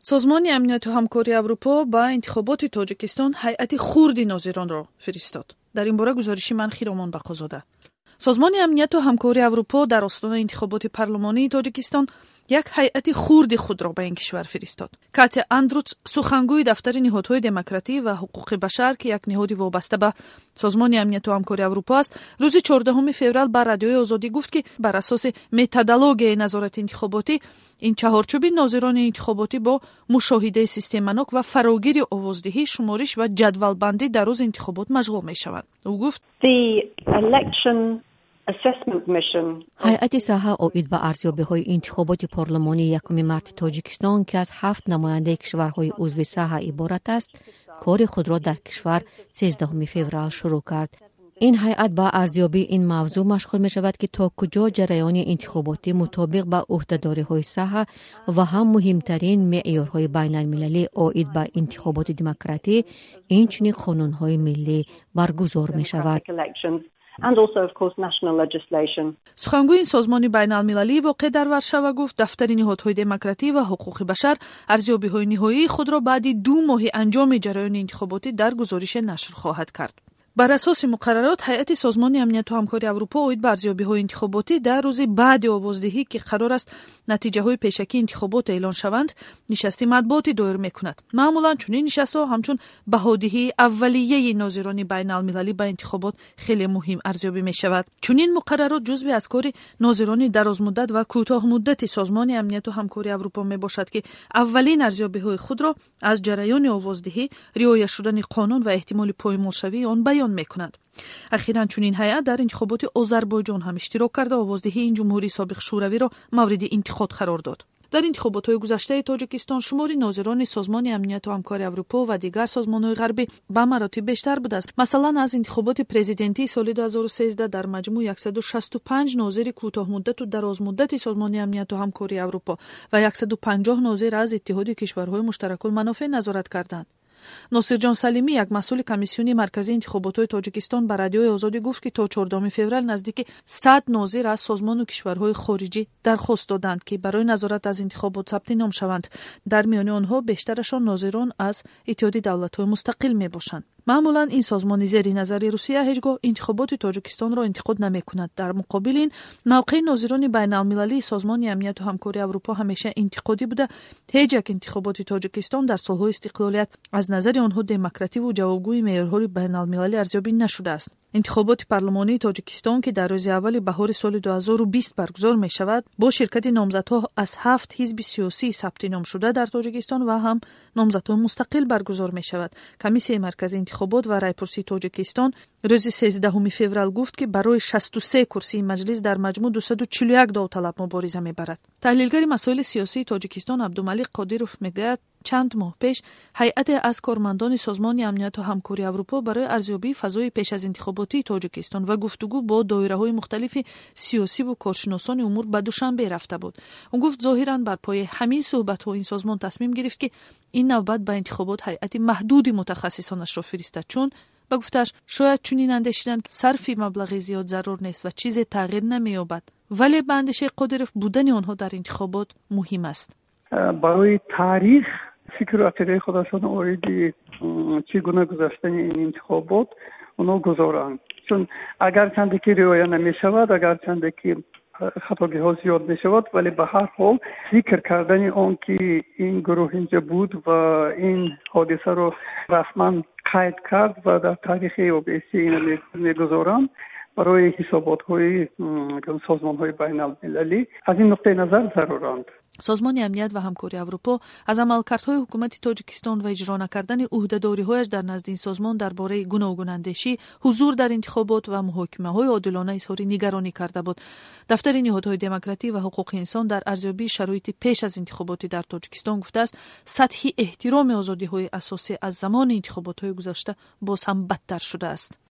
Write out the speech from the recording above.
Созмони Амнияту ҳамкории Аврупо ба интихоботи Тоҷикистон ҳайати хурди нозиронро фиристод. Дар ин бора гузориши ман, Хиромон Бақозода. Созмони Амнияту ҳамкории Аврупо дар остонаи интихоботи парлумонии Тоҷикистон як ҳайати хурди худро ба ин кишвар фиристод. Катя Андруц, сухангӯи дафтари ниҳодҳои демократӣ ва ҳуқуқи башар, ки як ниҳоди вобаста ба Созмони Амнияту ҳамкории Аврупо аст, рӯзи 14 феврал ба Радиои Озодӣ гуфт, ки бар асоси методологияи назорати интихоботӣ ин чаҳорчӯби нозирони интихоботӣ бо мушоҳидаи системанок ва фарогири овоздиҳӣ, шумориш ва ҷадвалбандӣ дар рӯзи интихобот машғул мешаванд. Ӯ гуфт: Ҳайати саҳа оид ба арзёбиҳои интихоботи парлумонии 1 марти Тоҷикистон, ки аз ҳафт намояндаи кишварҳои узви саҳа иборат аст, кори худро дар кишвар 13 феврал шурӯъ кард. Ин ҳайат ба арзёбии ин мавзӯъ машғул мешавад, ки то куҷо ҷараёни интихоботӣ мутобиқ ба ӯҳдадориҳои саҳа ва ҳам муҳимтарин меъёрҳои байналмилалӣ оид ба интихоботи демократӣ, инчунин қонунҳои миллӣ баргузор мешавад. Сухангӯи ин созмони байналмилалии воқеъ дар Варшава гуфт, дафтари ниҳодҳои демократӣ ва ҳуқуқи башар арзёбиҳои ниҳоии худро баъди 2 моҳи анҷоми ҷараёни интихоботӣ дар гузорише нашр хоҳад кард. Бар асоси муқаррарот, ҳайати Созмони Амнияту ҳамкории Аврупо оид ба арзёбиҳои интихоботӣ дар рӯзи баъди овоздиҳӣ, ки қарор аст натиҷаҳои пешакии интихобот эълон шаванд, нишасти матбуотӣ доир мекунад. Маъмулан чунин нишастҳо ҳамчун баҳодиҳии аввалияи нозирони байналмилалӣ ба интихобот хеле муҳим арзёбӣ мешавад. Чунин муқаррарот ҷузъе аз кори нозирони дарозмуддат ва кӯтоҳмуддати Созмони Амнияту ҳамкории Аврупо мебошад, ки аввалин арзёбиҳои худро аз ҷараёни овоздиҳӣ, риоя шудани қонун ва эҳтимоли поймолшавии он баён мекунанд. Ахиран чунин ҳайат дар интихоботи Озарбойҷон ҳам иштирок карда, овоздиҳии ин ҷумҳурии собиқ шӯравиро мавриди интиқод қарор дод. Дар интихоботҳои гузаштаи Тоҷикистон шумори нозирони Созмони Амнияту ҳамкори Аврупо ва дигар созмонҳои ғарбӣ ба маротиб бештар будааст. Масалан, аз интихоботи президентии соли 2013 дар маҷмӯъ 165 нозири кӯтоҳмуддату дарозмуддати Созмони Амнияту ҳамкории Аврупо ва 150 нозир аз Иттиҳоди кишварҳои муштаракулманофеъ назорат карданд. Носирҷон Салимӣ, як масъули Комиссиони марказии интихоботҳои Тоҷикистон, ба Радиои Озодӣ гуфт, ки то 14 феврал наздики 100 нозир аз созмону кишварҳои хориҷӣ дархост доданд, ки барои назорат аз интихобот сабти ном шаванд. Дар миёни онҳо бештарашон нозирон аз Иттиҳоди давлатҳои мустақил мебошанд. Маъмулан ин созмони зери назари Русия ҳеҷ гоҳ интихоботи Тоҷикистонро интиқод намекунад. Дар муқобили ин, мавқеи нозирони байналмилалии Созмони Амнияту ҳамкории Аврупо ҳамеша интиқодӣ буда. Ҳеҷ як интихоботи Тоҷикистон дар солҳои истиқлолият аз назари онҳо демокративу ҷавобгӯи меъёрҳои байналмилалӣ арзёбӣ нашудааст. Интихоботи парлумонии Тоҷикистон, ки дар рӯзи аввали баҳори соли 2020 баргузор мешавад, бо ширкати номзадҳо аз ҳафт ҳизби сиёсии сабти номшуда дар Тоҷикистон ва ҳам номзадҳои мустақил баргузор мешавад. Комиссияи марказии интихобот ва райпурсии Тоҷикистон рӯзи 13 феврал гуфт, ки барои 63 курсии маҷлис дар маҷмӯъ 241 довталаб мубориза мебарад. Таҳлилгари масоили сиёсии Тоҷикистон Абдумалиқ Қодиров мегӯяд, чанд моҳ пеш ҳайате аз кормандони Созмони Амнияту ҳамкории Аврупо барои арзёбии фазои пеш аз интихоботии Тоҷикистон ва гуфтугӯ бо доираҳои мухталифи сиёсиву коршиносони умур ба Душанбе рафта буд. Ӯ гуфт, зоҳиран бар пояи ҳамин суҳбатҳо ин созмон тасмим гирифт, ки ин навбат ба интихобот ҳайати маҳдуди мутахассисонашро фиристад, чун, ба гуфтааш, шояд чунин андешиданд, сарфи маблағи зиёд зарур нест ва чизе тағйир намеёбад. Вале ба андешаи Қодиров, будани онҳо дар интихобот муҳим аст. Барои таърих фикру ақидаи худашон оиди чӣ гуна гузаштани ин интихобот онҳо гузоранд, чун агарчанде ки риоя намешавад, агарчанде ки хатогиҳо зиёд мешавад, вале ба ҳар ҳол зикр кардани он ки ин гурӯҳ инҷа буд ва ин ҳодисаро расман қайд кард ва дар таърихи ОБСЕ ина мегузоранд барои ҳисоботҳои созмонҳои байналмилалӣ, аз ин нуқтаи назар заруранд. Созмони Амният ва ҳамкории Аврупо аз амалкардҳои ҳукумати Тоҷикистон ва иҷро накардани ӯҳдадориҳояш дар назди ин созмон дар бораи гуногунандешӣ, ҳузур дар интихобот ва муҳокимаҳои одилона изҳори нигаронӣ карда буд. Дафтари ниҳодҳои демократӣ ва ҳуқуқи инсон дар арзёбии шароити пеш аз интихоботӣ дар Тоҷикистон гуфтааст, сатҳи эҳтироми озодиҳои асосӣ аз замони интихоботҳои гузашта боз ҳам бадтар шудааст.